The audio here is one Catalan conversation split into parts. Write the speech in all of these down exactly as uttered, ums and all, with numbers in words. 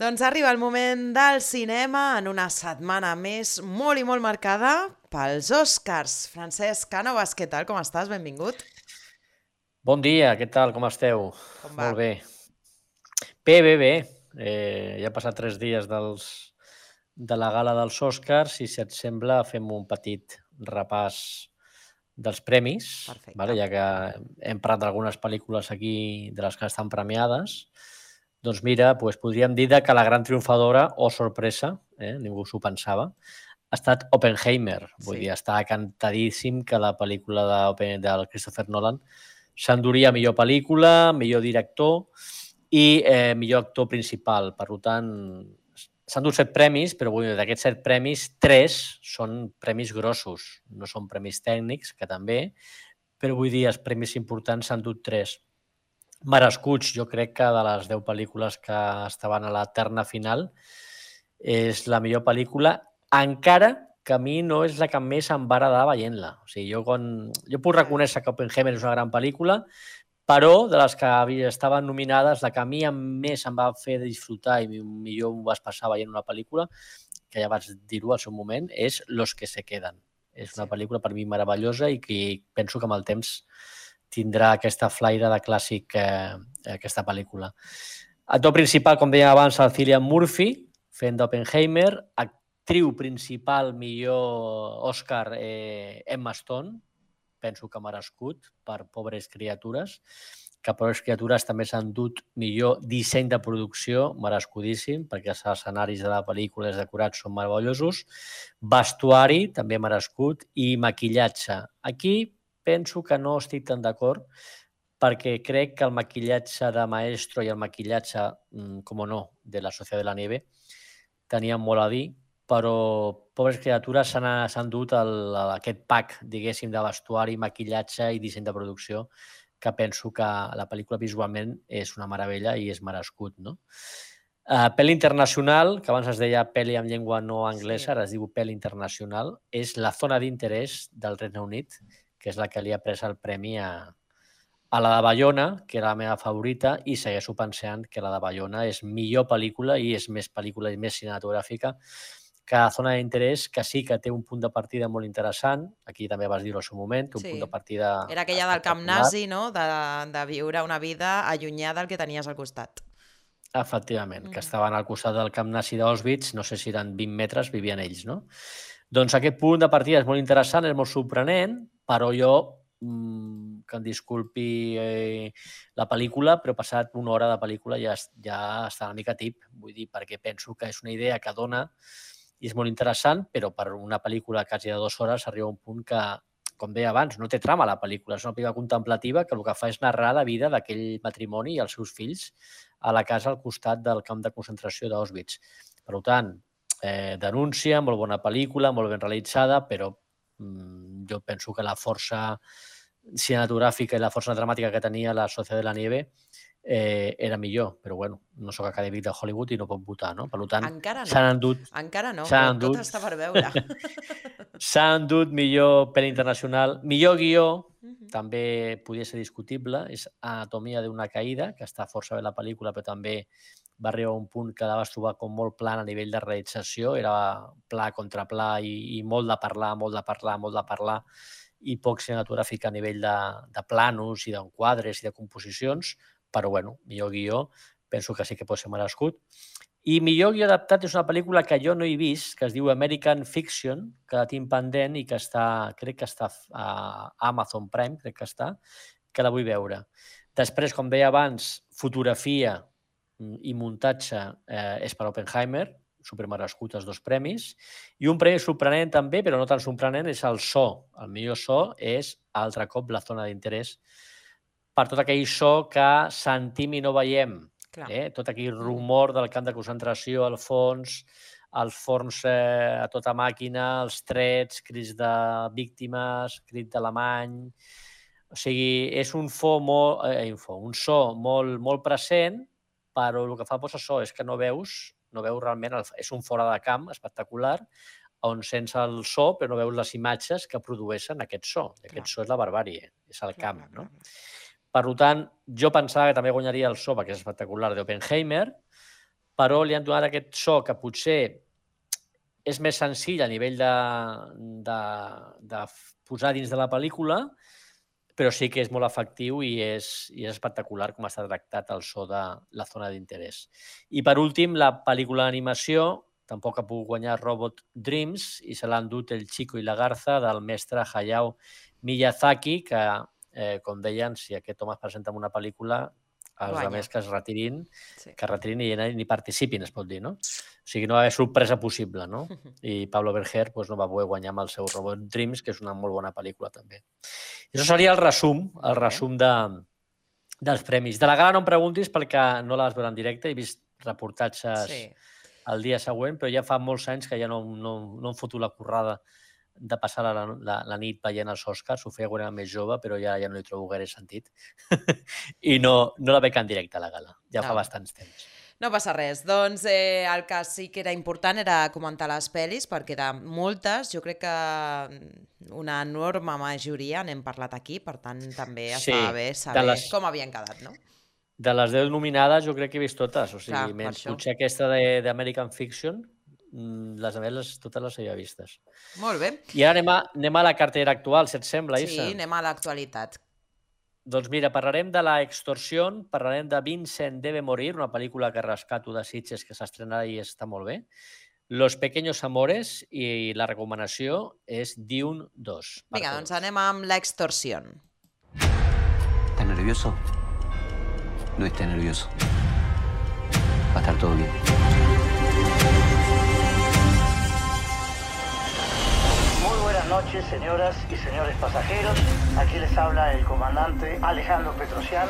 Doncs arriba el moment del cinema en una setmana més molt i molt marcada pels Oscars. Francesc Cànovas, què tal? Com estàs? Benvingut. Bon dia, què tal? Com esteu? Com va? Molt bé. Bé, bé, bé. Eh, ja han passat tres dies dels, de la gala dels Oscars i, si et sembla, fem un petit repàs dels premis, Perfecte. vale? Ja que hem parlat d'algunes pel·lícules aquí de les que estan premiades. Doncs mira, doncs podríem dir que la gran triomfadora, o sorpresa, eh, ningú s'ho pensava, ha estat Oppenheimer. Vull Sí. dir, està cantadíssim que la pel·lícula de, del Christopher Nolan s'enduria millor pel·lícula, millor director i eh, millor actor principal. Per tant, s'han dut set premis, però vull dir, d'aquests set premis, tres són premis grossos, no són premis tècnics, que també, però vull dir, els premis importants s'han dut tres. Merescuts, jo crec que de les deu pel·lícules que estaven a la terna final és la millor pel·lícula, encara que a mi no és la que més em va agradar veient-la. O sigui, jo, quan... jo puc reconèixer que Oppenheimer és una gran pel·lícula, però de les que estaven nominades, la que a mi més em va fer disfrutar i millor m'ho vas passar veient una pel·lícula, que ja vaig dir-ho al seu moment, és Los que se queden. És una Sí. pel·lícula per mi meravellosa i que penso que amb el temps tindrà aquesta flaire de clàssic eh, aquesta pel·lícula. Actor principal, com deia abans, el Cillian Murphy, fent d'Oppenheimer. Actriu principal, millor Òscar, eh, Emma Stone, penso que merescut per Pobres criatures, que Pobres criatures també s'han dut millor disseny de producció, merescudíssim, perquè els escenaris de la pel·lícula i els decorats són meravellosos. Vestuari, també merescut, i maquillatge. Aquí penso que no estic tan d'acord, perquè crec que el maquillatge de Maestro i el maquillatge, com no, de la Societat de la Nieve tenien molt a dir, però Pobres criatures s'han dut el, aquest pack, diguéssim, de vestuari, maquillatge i disseny de producció, que penso que la pel·lícula visualment és una meravella i és merescut, no? Uh, pel·li internacional, que abans es deia pel·li en llengua no anglesa, Sí. ara es diu pel·li internacional, és La zona d'interès del Regne Unit, que és la que li ha pres el premi a, a la de Bayona, que era la meva favorita, i segueixo pensant que la de Bayona és millor pel·lícula i és més pel·lícula i més cinematogràfica que la zona d'interès, que sí que té un punt de partida molt interessant, aquí també vas dir-ho al seu moment, té un Sí. punt de partida Era aquella del camp espectacular. nazi, no? De, de viure una vida allunyada del que tenies al costat. Efectivament, Mm. que estaven al costat del camp nazi d'Auschwitz, no sé si eren vint metres, vivien ells, no? Doncs aquest punt de partida és molt interessant, és molt sorprenent, però jo, mmm, que em disculpi eh, la pel·lícula, però passat una hora de pel·lícula ja, ja està una mica tip, vull dir, perquè penso que és una idea que dona i és molt interessant, però per una pel·lícula quasi de dues hores arriba a un punt que, com deia abans, no té trama la pel·lícula, és una pel·lícula contemplativa que el que fa és narrar la vida d'aquell matrimoni i els seus fills a la casa al costat del camp de concentració d'Auschwitz. Per tant, eh, denúncia, molt bona pel·lícula, molt ben realitzada, però mm, jo penso que la força cinematogràfica i la força dramàtica que tenia la Societat de la Nieve eh, era millor, però bueno, no sóc acadèmic de Hollywood i no puc votar, no? Per tant, Encara no. s'han endut... Encara no, però s'han tot endut, està per veure. s'han endut millor pel·li internacional, millor guió, Mhm. també podia ser discutible, és Anatomia d'una caïda, que està força bé la pel·lícula, però també va arribar a un punt que la vas trobar com molt plan a nivell de realització, era pla contra pla i, i molt de parlar, molt de parlar, molt de parlar, i poc cinematogràfic a nivell de, de planos i d'enquadres i de composicions, però bueno, millor guió, penso que sí que pot ser merescut. I millor guió adaptat és una pel·lícula que jo no he vist, que es diu American Fiction, que la tinc pendent i que està, crec que està a Amazon Prime, crec que està, que la vull veure. Després, com deia abans, fotografia i muntatge eh, és per Oppenheimer, supermerescut els dos premis, i un premi sorprenent també, però no tan sorprenent, és el so. El millor so és, altre cop, La zona d'interès, per tot aquell so que sentim i no veiem. Eh? Tot aquell rumor del camp de concentració al fons, els forns eh, a tota màquina, els trets, crits de víctimes, crit d'alemany... O sigui, és un, fo molt, eh, info, un so molt, molt present, però el que fa por so és que no veus, no veus realment, el, és un fora de camp espectacular, on sents el so, però no veus les imatges que produeixen aquest so. I aquest so és la barbàrie, és el Clar, camp. clar, No? clar. Per tant, jo pensava que també guanyaria el so, perquè és espectacular, d'Oppenheimer, però li han donat aquest so que potser és més senzill a nivell de, de, de posar dins de la pel·lícula, però sí que és molt efectiu i és, i és espectacular com està tractat el so de la zona d'interès. I per últim, la pel·lícula d'animació tampoc ha pogut guanyar Robot Dreams i se l'han dut El Chico i la Garza del mestre Hayao Miyazaki, que, eh, com deien, si aquest home es presenta en una pel·lícula, els Guanya. altres que es retirin, Sí. que es retirin i ni participin, es pot dir, no? O sigui, no va haver sorpresa possible, no? I Pablo Berger pues, no va poder guanyar amb el seu Robot Dreams, que és una molt bona pel·lícula, també. I això seria el resum, el resum de, dels premis. De la gala no em preguntis perquè no la vas veure en directe, he vist reportatges Sí. el dia següent, però ja fa molts anys que ja no, no, no em foto la currada de passar la, la, la nit veient els Oscars. Ho feia quan era més jove, però ja, ja no hi trobo gaire sentit. I no, no la veig en directe a la gala. Ja fa No. bastants temps. No passa res. Doncs eh, el que sí que era important era comentar les pel·lis, perquè de moltes, jo crec que una enorme majoria n'hem parlat aquí, per tant també Sí, estava bé de saber les- com havien quedat, no? De les deu nominades jo crec que he vist totes. O sigui, Clar, per menys això. potser aquesta de- d'American Fiction, mm, les altres les, totes les havia vistes. Molt bé. I ara anem a, anem a la cartera actual, si et sembla, Issa. Sí, anem a l'actualitat. Doncs mira, parlarem de La Extorsión, parlarem de Vincent debe morir, una pel·lícula que rescato de Sitges que s'estrena i està molt bé. Los Pequeños Amores i la recomanació és Dune dos. Vinga, doncs anem amb l'extorsió. ¿Estás nervioso? No estés nervioso. Va a estar todo bien. Muy buenas noches, señoras y señores pasajeros. Aquí les habla el comandante Alejandro Petrosian.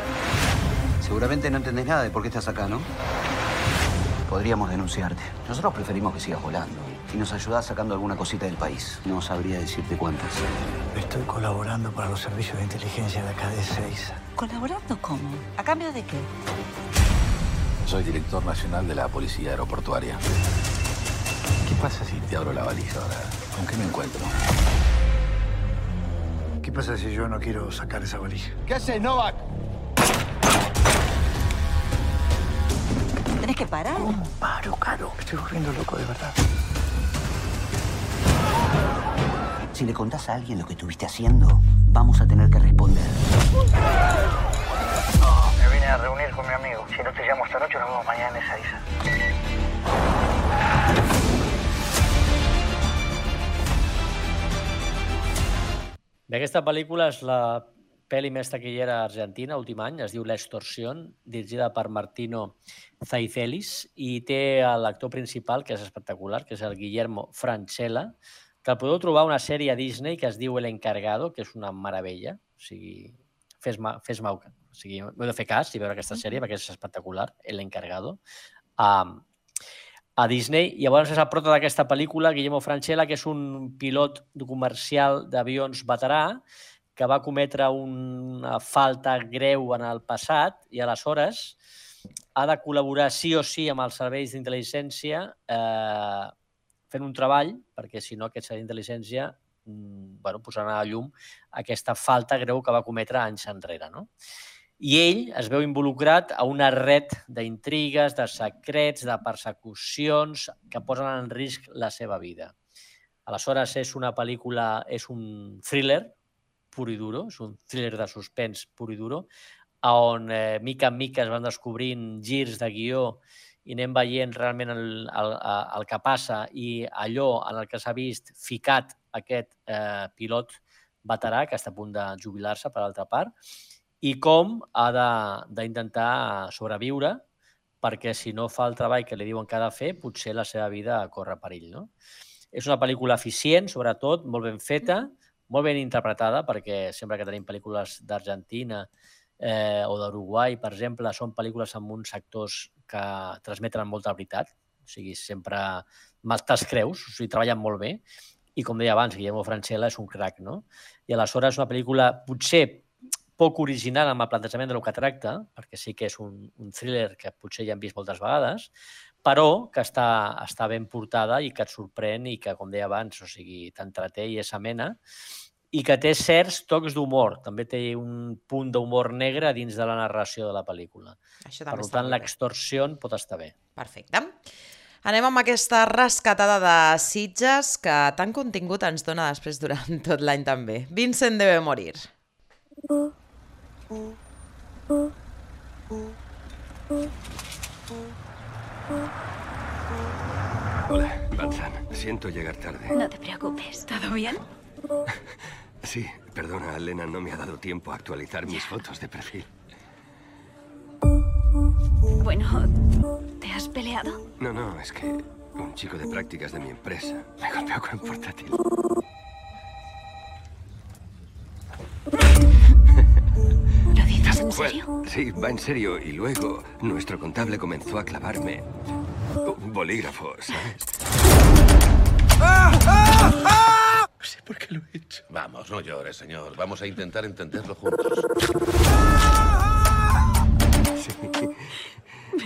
Seguramente no entendés nada de por qué estás acá, ¿no? Podríamos denunciarte. Nosotros preferimos que sigas volando. Y nos ayudás sacando alguna cosita del país. No sabría decirte cuántas. Estoy colaborando para los servicios de inteligencia de acá de Ezeiza. ¿Colaborando cómo? ¿A cambio de qué? Soy director nacional de la Policía Aeroportuaria. ¿Qué pasa si te abro la valija ahora? ¿Con qué me encuentro? ¿Qué pasa si yo no quiero sacar esa valija? ¿Qué haces, Novak? ¿Tenés que parar? ¿Cómo paro, Caro? Me estoy volviendo loco de verdad. Si le contás a alguien lo que estuviste haciendo, vamos a tener que responder. Me vine a reunir con mi amigo. Si no te llamo esta noche, nos vemos mañana en Ezeiza. Bé, aquesta pel·lícula és la pel·li més taquillera argentina, últim any, es diu La Extorsión, dirigida per Martino Zaicelis, i té l'actor principal, que és espectacular, que és el Guillermo Francella, que el podeu trobar a una sèrie a Disney que es diu El Encargado, que és una meravella. O sigui, fes-me fes o sigui, m'heu de fer cas i veure aquesta sèrie, perquè és espectacular, El Encargado. Um, a Disney. I llavors és el prota d'aquesta pel·lícula, Guillermo Francella, que és un pilot comercial d'avions veterà que va cometre una falta greu en el passat i aleshores ha de col·laborar sí o sí amb els serveis d'intel·ligència eh, fent un treball, perquè si no aquest servei d'intel·ligència bueno, posarà a llum aquesta falta greu que va cometre anys enrere, no? I ell es veu involucrat a una red d'intrigues, de secrets, de persecucions que posen en risc la seva vida. Aleshores, és una pel·lícula, és un thriller pur i duro, és un thriller de suspens pur i duro, on eh, mica en mica es van descobrint girs de guió i anem veient realment el, el, el que passa i allò en el que s'ha vist ficat aquest eh, pilot veterà que està a punt de jubilar-se, per altra part, i com ha d'intentar sobreviure perquè si no fa el treball que li diuen que ha de fer, potser la seva vida corre perill, no? És una pel·lícula eficient, sobretot, molt ben feta, molt ben interpretada, perquè sempre que tenim pel·lícules d'Argentina eh, o d'Uruguai, per exemple, són pel·lícules amb uns actors que transmeten molta veritat, o sigui, sempre te'ls creus, o sigui, treballen molt bé, i com deia abans, Guillermo Francella és un crac, no? I aleshores és una pel·lícula potser poc original amb el plantejament de lo que tracta, perquè sí que és un, un thriller que potser ja hem vist moltes vegades, però que està, està ben portada i que et sorprèn i que, com deia abans, o sigui, t'entreté i és amena. i que té certs tocs d'humor. També té un punt d'humor negre dins de la narració de la pel·lícula. Això Per també està tant, molt bé. l'extorsió pot estar bé. Perfecte. Anem amb aquesta rescatada de Sitges que tant contingut ens dona després durant tot l'any també. Vincent debe morir. Hola, Vincent. Siento llegar tarde. No te preocupes. ¿Todo bien? Sí, perdona, Elena, no me ha dado tiempo a actualizar mis fotos de perfil. Bueno, ¿te has peleado? No, no, es que un chico de prácticas de mi empresa me golpeó con un portátil. ¿Lo dices en serio? Pues, sí, va en serio. Y luego nuestro contable comenzó a clavarme un bolígrafo, ¿sabes? No sé por qué lo he hecho. Vamos, no llores, señor. Vamos a intentar entenderlo juntos. Sí.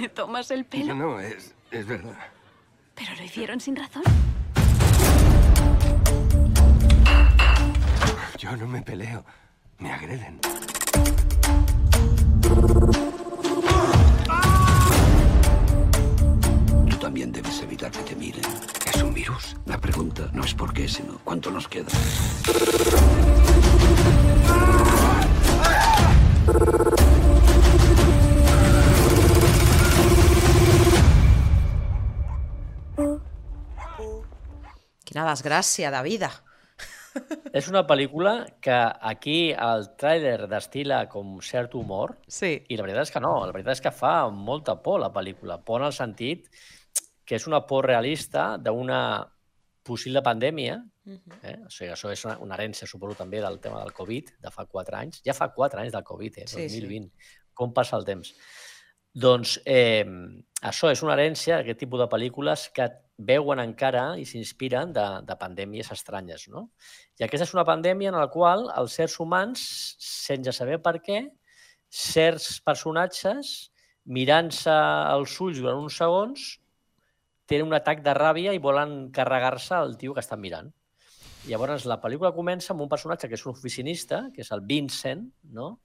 ¿Me tomas el No, pelo? no, es, es verdad. ¿Pero lo hicieron sin razón? Yo no me peleo. Me agreden. Tú también debes evitar que te miren. ¿Es un virus? La pregunta no es por qué, sino cuánto nos queda. Quina desgràcia de vida. És una pel·lícula que aquí el tràiler destila com cert humor Sí. i la veritat és que no, la veritat és que fa molta por la pel·lícula. Por en el sentit que és una por realista d'una possible pandèmia. Eh? O sigui, això és una, una herència, suposo, també del tema del Covid, de fa quatre anys. Ja fa quatre anys del Covid, eh? Sí, dos mil vint. Com passa el temps? Doncs eh, això és una herència, aquest tipus de pel·lícules que veuen encara i s'inspiren de, de pandèmies estranyes, no? I aquesta és una pandèmia en la qual els éssers humans, sense saber per què, certs personatges, mirant-se als ulls durant uns segons, tenen un atac de ràbia i volen carregar-se el tio que estan mirant. Llavors, la pel·lícula comença amb un personatge que és un oficinista, que és el Vincent, no?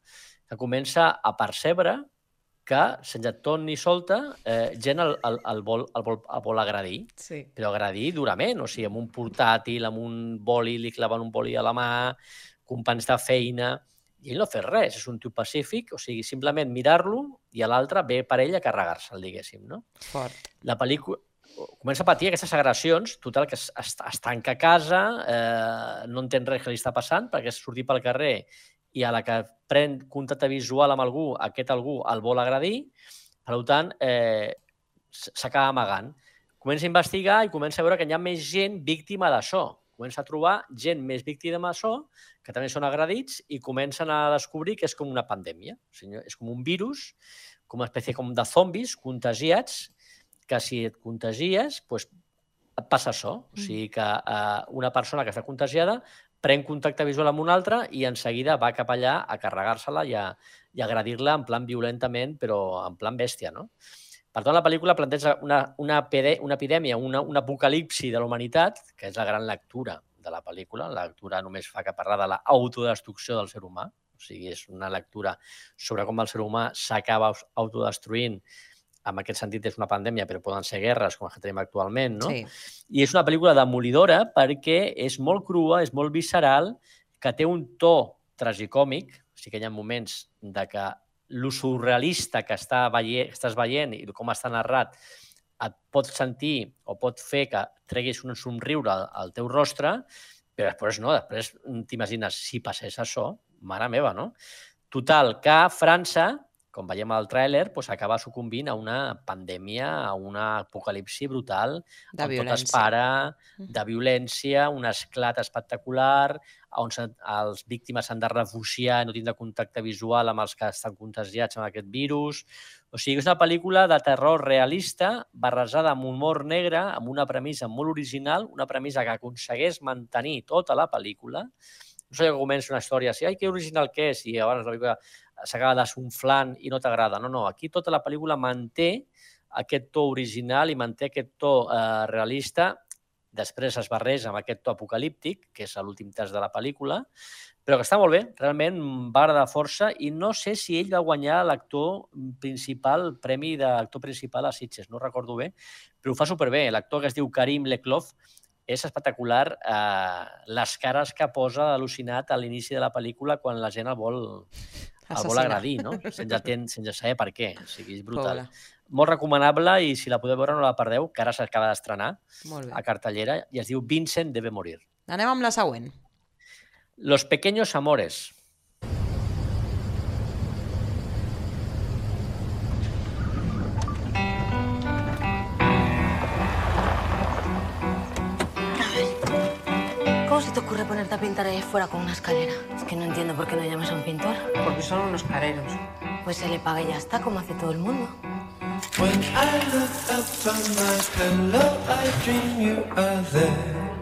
Que comença a percebre que, sense ton ni solta, eh, gent el, el, el, vol, el, vol, el vol agredir, Sí. però agredir durament, o sigui, amb un portàtil, amb un boli, li claven un boli a la mà, companys de feina, i ell no fa res, és un tio pacífic, o sigui, simplement mirar-lo i a l'altre ve per ell a carregar-se'l, diguéssim, no? Fort. La pel·lícula comença a patir aquestes agressions, total, que es, es, es tanca a casa, eh, no entén res que li està passant, perquè és sortir pel carrer i a la que pren contacte visual amb algú, aquest algú el vol agredir, per tant, eh, s'acaba amagant. Comença a investigar i comença a veure que hi ha més gent víctima d'això. Comença a trobar gent més víctima d'això, que també són agredits, i comencen a descobrir que és com una pandèmia. O sigui, és com un virus, com una espècie com de zombis contagiats, que si et contagies, doncs et passa això. O sigui que eh, una persona que està contagiada pren contacte visual amb una altra i en seguida va cap allà a carregar-se-la i a, i a agredir-la en plan violentament, però en plan bèstia, no? Per tant, la pel·lícula planteja una, una, una epidèmia, una, un apocalipsi de la humanitat, que és la gran lectura de la pel·lícula. La lectura només fa que parlar de l'autodestrucció del ser humà. O sigui, és una lectura sobre com el ser humà s'acaba autodestruint. En aquest sentit és una pandèmia, però poden ser guerres com les que tenim actualment, no? Sí. I és una pel·lícula demolidora perquè és molt crua, és molt visceral, que té un to tragicòmic, o sigui que hi ha moments de que lo surrealista que està veient, estàs veient i com està narrat et pot sentir o pot fer que treguis un somriure al, al teu rostre, però després no, després t'imagines, si passés això, mare meva, no? Total, que França, com veiem al tràiler, doncs acaba sucumbint a una pandèmia, a una apocalipsi brutal, De on tot es violència. para, de violència, un esclat espectacular, on se- els víctimes s'han de refugiar i no tindre contacte visual amb els que estan contagiats amb aquest virus. O sigui, és una pel·lícula de terror realista, barrejada amb humor negre, amb una premissa molt original, una premissa que aconsegueix mantenir tota la pel·lícula. No sé que comença una història així, ai, que original que és, i abans la pel·lícula s'acaba desunflant i no t'agrada. No, no, aquí tota la pel·lícula manté aquest to original i manté aquest to eh, realista després es barreja amb aquest to apocalíptic, que és l'últim terç de la pel·lícula, però que està molt bé, realment va agradar força, i no sé si ell va guanyar l'actor principal, el premi d'actor principal a Sitges, no recordo bé, però ho fa superbé. L'actor que es diu Karim Leclov és espectacular, eh, les cares que posa al·lucinat a l'inici de la pel·lícula quan la gent el vol, el vol agredir, no? sense, ten, sense saber per què, o sigui, és brutal. Pobre. Molt recomanable, i si la podeu veure no la perdeu, que ara s'acaba d'estrenar a cartellera, i es diu Vincent debe morir. Anem amb la següent. Los pequeños amores. ¿Cómo se te ocurre ponerte a pintar ahí fuera con una escalera? Es que no entiendo por qué no llamas a un pintor. Porque son unos careros. Pues se le paga y ya está, como hace todo el mundo.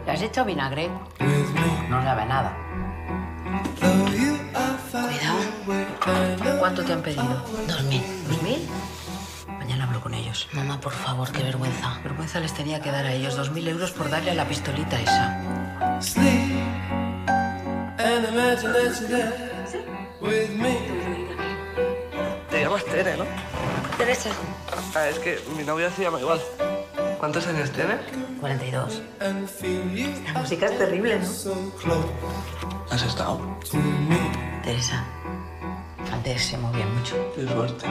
¿Le has hecho vinagre? No sabe nada. Cuidado. ¿Cuánto te han pedido? Dos mil. ¿Dos mil? Mañana hablo con ellos. Mamá, por favor, qué vergüenza. Vergüenza les tenía que dar a ellos dos mil euros por darle a la pistolita esa. Te llamas Tere, ¿no? Teresa. Ah, es que mi novia se llama igual. ¿Cuántos años tienes? cuarenta y dos. La música es terrible, ¿no? ¿Has estado? Teresa, antes se movía mucho. Qué suerte.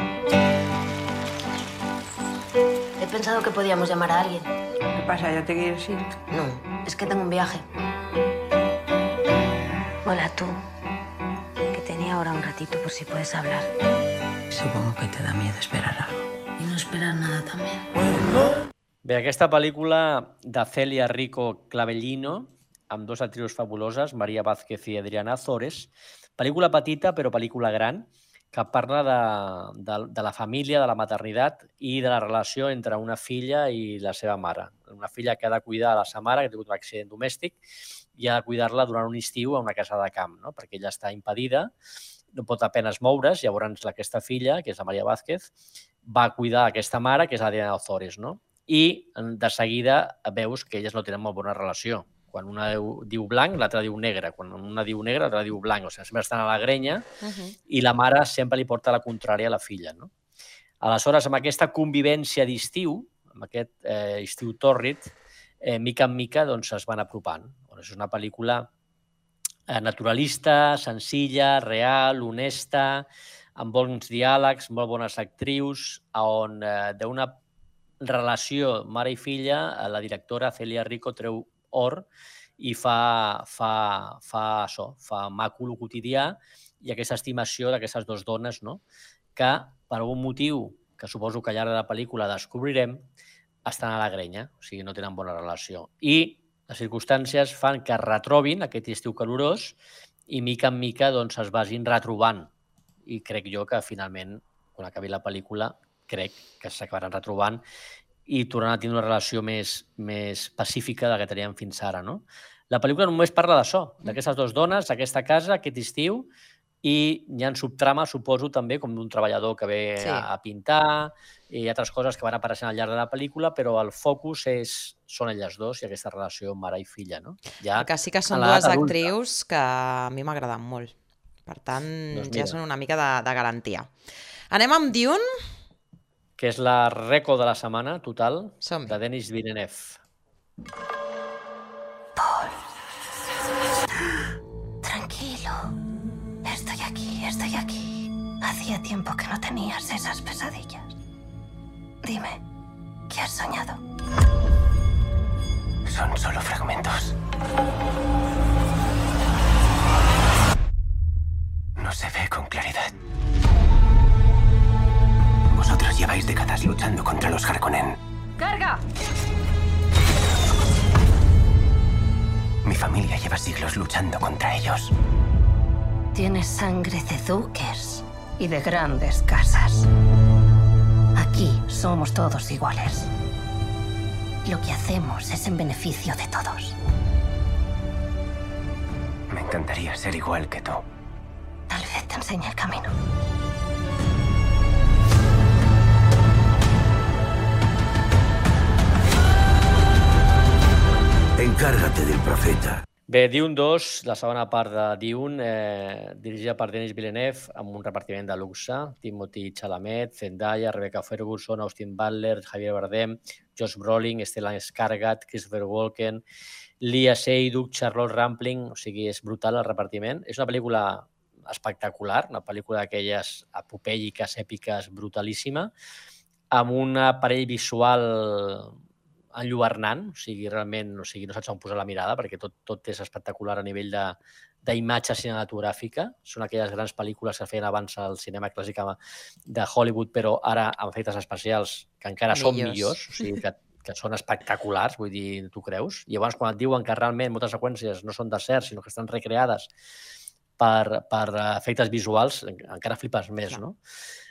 He pensado que podíamos llamar a alguien. ¿Qué pasa? ¿Ya te quieres ir? No, es que tengo un viaje. Hola, tú. Que tenía ahora un ratito por si puedes hablar. Supongo que te da miedo esperar algo. Y no esperar nada también. Bé, aquesta pel·lícula de Celia Rico Clavellino, amb dos actrius fabuloses, Maria Vázquez i Adriana Azores. Pel·lícula petita, però pel·lícula gran, que parla de, de, de la família, de la maternitat i de la relació entre una filla i la seva mare. Una filla que ha de cuidar de la seva mare, que ha tingut un accident domèstic, i ha de cuidar-la durant un estiu a una casa de camp, no? Perquè ella està impedida, no pot apenas moure's, llavors aquesta filla, que és la Maria Vázquez, va cuidar aquesta mare, que és Adriana Azores, no? I de seguida veus que elles no tenen molt bona relació. Quan una diu blanc, l'altra diu negre. Quan una diu negre, l'altra diu blanc. O sigui, sempre estan a la grenya i la mare sempre li porta la contrària a la filla, no? Aleshores, amb aquesta convivència d'estiu, amb aquest eh, estiu tòrrid, eh, mica en mica doncs, es van apropant. És una pel·lícula eh, naturalista, senzilla, real, honesta, amb bons diàlegs, molt bones actrius, on eh, d'una relació mare i filla, la directora Celia Rico treu or i fa, fa, fa això, fa maco el quotidià i aquesta estimació d'aquestes dues dones, no? Que per algun motiu, que suposo que al llarg de la pel·lícula descobrirem, estan a la grenya, o sigui, no tenen bona relació. I les circumstàncies fan que es retrobin aquest estiu calorós i mica en mica doncs, es vagin retrobant. I crec jo que finalment, quan acabi la pel·lícula, crec que s'acabaran retrobant i tornaran a tenir una relació més, més pacífica de la que teníem fins ara, no? La pel·lícula només parla d'això, d'aquestes dues dones, aquesta casa, aquest estiu, i hi ha subtrames, suposo, també, com d'un treballador que ve sí. a, a pintar i altres coses que van apareixent al llarg de la pel·lícula, però el focus és, són elles dos i aquesta relació mare i filla, no? Ja, que sí que són dues actrius que a mi m'agraden molt. Per tant, doncs ja són una mica de, de garantia. Anem amb Dune, que és la reco de la setmana total, de Denis Villeneuve. Paul. Tranquilo. Estoy aquí, estoy aquí. Hacía tiempo que no tenías esas pesadillas. Dime, ¿qué has soñado? Son solo fragmentos. No se ve con claridad. Vosotros lleváis décadas luchando contra los Harkonnen. ¡Carga! Mi familia lleva siglos luchando contra ellos. Tienes sangre de duques y de grandes casas. Aquí somos todos iguales. Lo que hacemos es en beneficio de todos. Me encantaría ser igual que tú. Tal vez te enseñe el camino. Encárgate del profeta. Bé, Dune dos, la segona part de Dune, eh, dirigida per Denis Villeneuve, amb un repartiment de luxe, Timothée Chalamet, Zendaya, Rebecca Ferguson, Austin Butler, Javier Bardem, Josh Brolin, Stellan Skarsgård, Christopher Walken, Lia Seydoux, Charlotte Rampling, o sigui, és brutal el repartiment. És una pel·lícula espectacular, una pel·lícula d'aquelles apopèiques, èpiques, brutalíssima, amb un aparell visual enlluernant, o sigui, realment o sigui, no saps on posar la mirada perquè tot, tot és espectacular a nivell d'imatge cinematogràfica. Són aquelles grans pel·lícules que feien abans al cinema clàssic de Hollywood, però ara amb efectes especials que encara millors. Són millors, o sigui, que, que són espectaculars, vull dir, tu creus? I llavors quan et diuen que realment moltes seqüències no són deserts, sinó que estan recreades per, per efectes visuals, encara flipes més, Clar. No?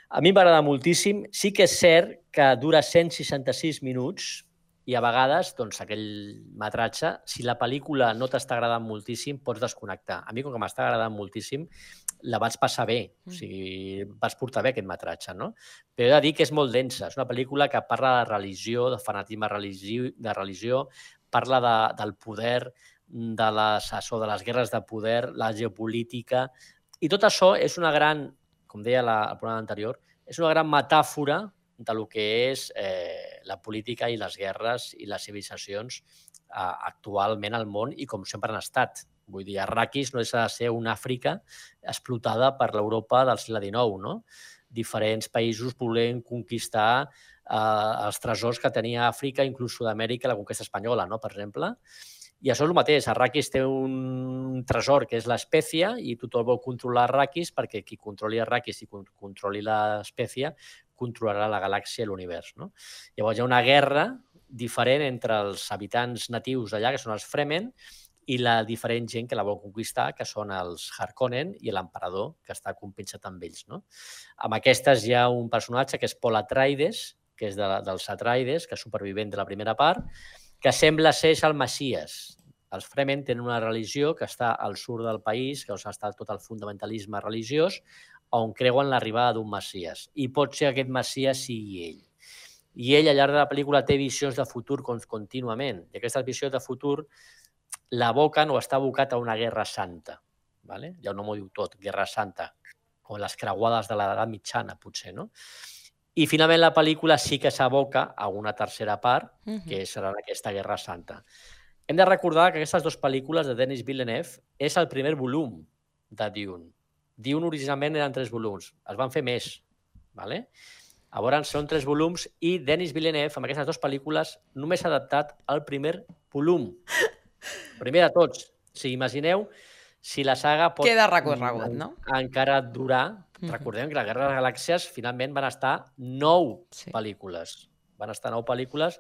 A mi m'agrada moltíssim. Sí que és cert que dura cent seixanta-sis minuts, i a vegades, doncs, aquell metratge, si la pel·lícula no t'està agradant moltíssim, pots desconnectar. A mi, com que m'està agradant moltíssim, la vaig passar bé. O sigui, vaig portar bé aquest metratge, no? Però he de dir que és molt densa. És una pel·lícula que parla de religió, de fanatisme religió, de religió, parla de, del poder, de les, això, de les guerres de poder, la geopolítica, i tot això és una gran, com deia la, el programa anterior, és una gran metàfora de lo que és eh, la política i les guerres i les civilitzacions eh, actualment al món i com sempre han estat. Vull dir, Arrakis no deixa de ser una Àfrica explotada per l'Europa del segle dinou, no? Diferents països volent conquistar eh, els tresors que tenia Àfrica, inclús Sud-amèrica, la conquesta espanyola, no? Per exemple. I això és el mateix. Arrakis té un tresor que és l'espècia i tothom vol controlar Arrakis perquè qui controli Arrakis i controli l'espècia controlarà la galàxia i l'univers. No? Llavors hi ha una guerra diferent entre els habitants natius d'allà, que són els Fremen, i la diferent gent que la vol conquistar, que són els Harkonnen i l'emperador, que està compensat amb ells. No? Amb aquestes hi ha un personatge que és Paul Atreides, que és de, dels Atreides, que és supervivent de la primera part, que sembla ser el Messies. Els Fremen tenen una religió que està al sud del país, que està tot el fundamentalisme religiós, on creuen l'arribada d'un Messies. I pot ser que aquest Messies sigui ell. I ell, al llarg de la pel·lícula, té visions de futur contínuament. I aquestes visions de futur l'aboquen o està abocat a una guerra santa. Vale? Ja no m'ho diu tot, guerra santa, o les creuades de l'edat mitjana, potser, no? I finalment la pel·lícula sí que s'aboca a una tercera part, que serà aquesta guerra santa. Hem de recordar que aquestes dues pel·lícules de Denis Villeneuve és el primer volum de Dune. Dune originalment eren tres volums, es van fer més. Vale? Llavors són tres volums i Denis Villeneuve, amb aquestes dues pel·lícules, només ha adaptat el primer volum. El primer de tots. O sigui, imagineu si la saga pot Queda recorregut, no? encara durar. Recordem que la Guerra de les Galàxies finalment van estar nou sí. pel·lícules. Van estar nou pel·lícules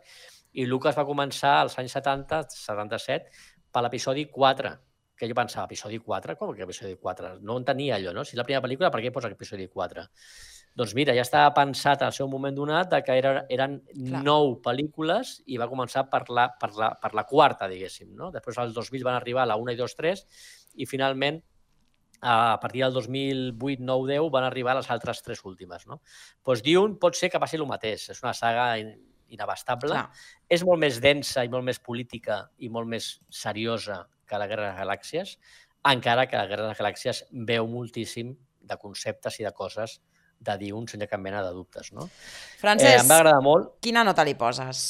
i Lucas va començar als anys setanta, setanta-set, per l'episodi quatre. Que jo pensava, episodi quatre? Com que episodi quatre? No entenia allò, no? Si és la primera pel·lícula, per què posa episodi quatre? Doncs mira, ja estava pensat al seu moment donat que eren, eren nou pel·lícules i va començar per la, per la, per la quarta, diguéssim. No? Després, als dos mil van arribar a la una i dos, tres i finalment, a partir del dos mil vuit, nou, deu, van arribar a les altres tres últimes. No? Doncs Dune pot ser que passi el mateix. És una saga inabastable. Clar. És molt més densa i molt més política i molt més seriosa que la Guerra de les Galàxies, encara que la Guerra de les Galàxies veu moltíssim de conceptes i de coses de Dune sense cap mena de dubtes. No? Francesc, eh, em va agradar molt. Quina nota li poses?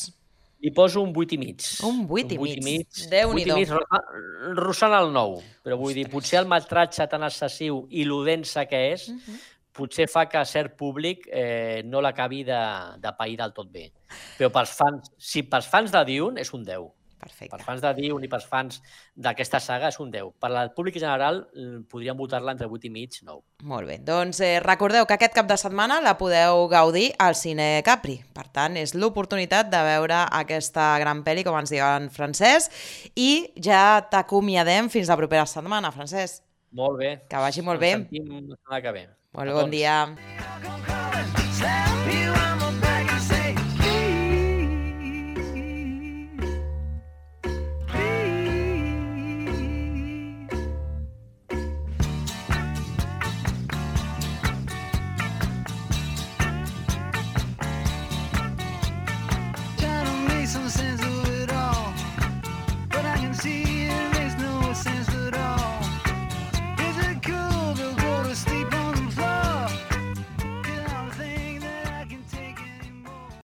Li poso un vuit i mig. Un vuit i mig? Déu-n'hi-do. vuit i mig, rossant el nou. Però vull dir, potser el metratge tan excessiu i lo densa que és, uh -huh. potser fa que cert públic eh, no l'acabi de, de pair del tot bé. Però pels fans, si pels fans de Dune és un deu. Perfecte. Per fans de Dune i per fans d'aquesta saga és un deu. Per al públic general podríem votar-la entre vuit i mig i nou. Molt bé. Doncs eh, recordeu que aquest cap de setmana la podeu gaudir al Cine Capri. Per tant, és l'oportunitat de veure aquesta gran pel·li, com ens diu en Francesc, i ja t'acomiadem fins la propera setmana, Francesc. Molt bé. Que vagi molt bé. Ens sentim la setmana que ve. Molt bon dia.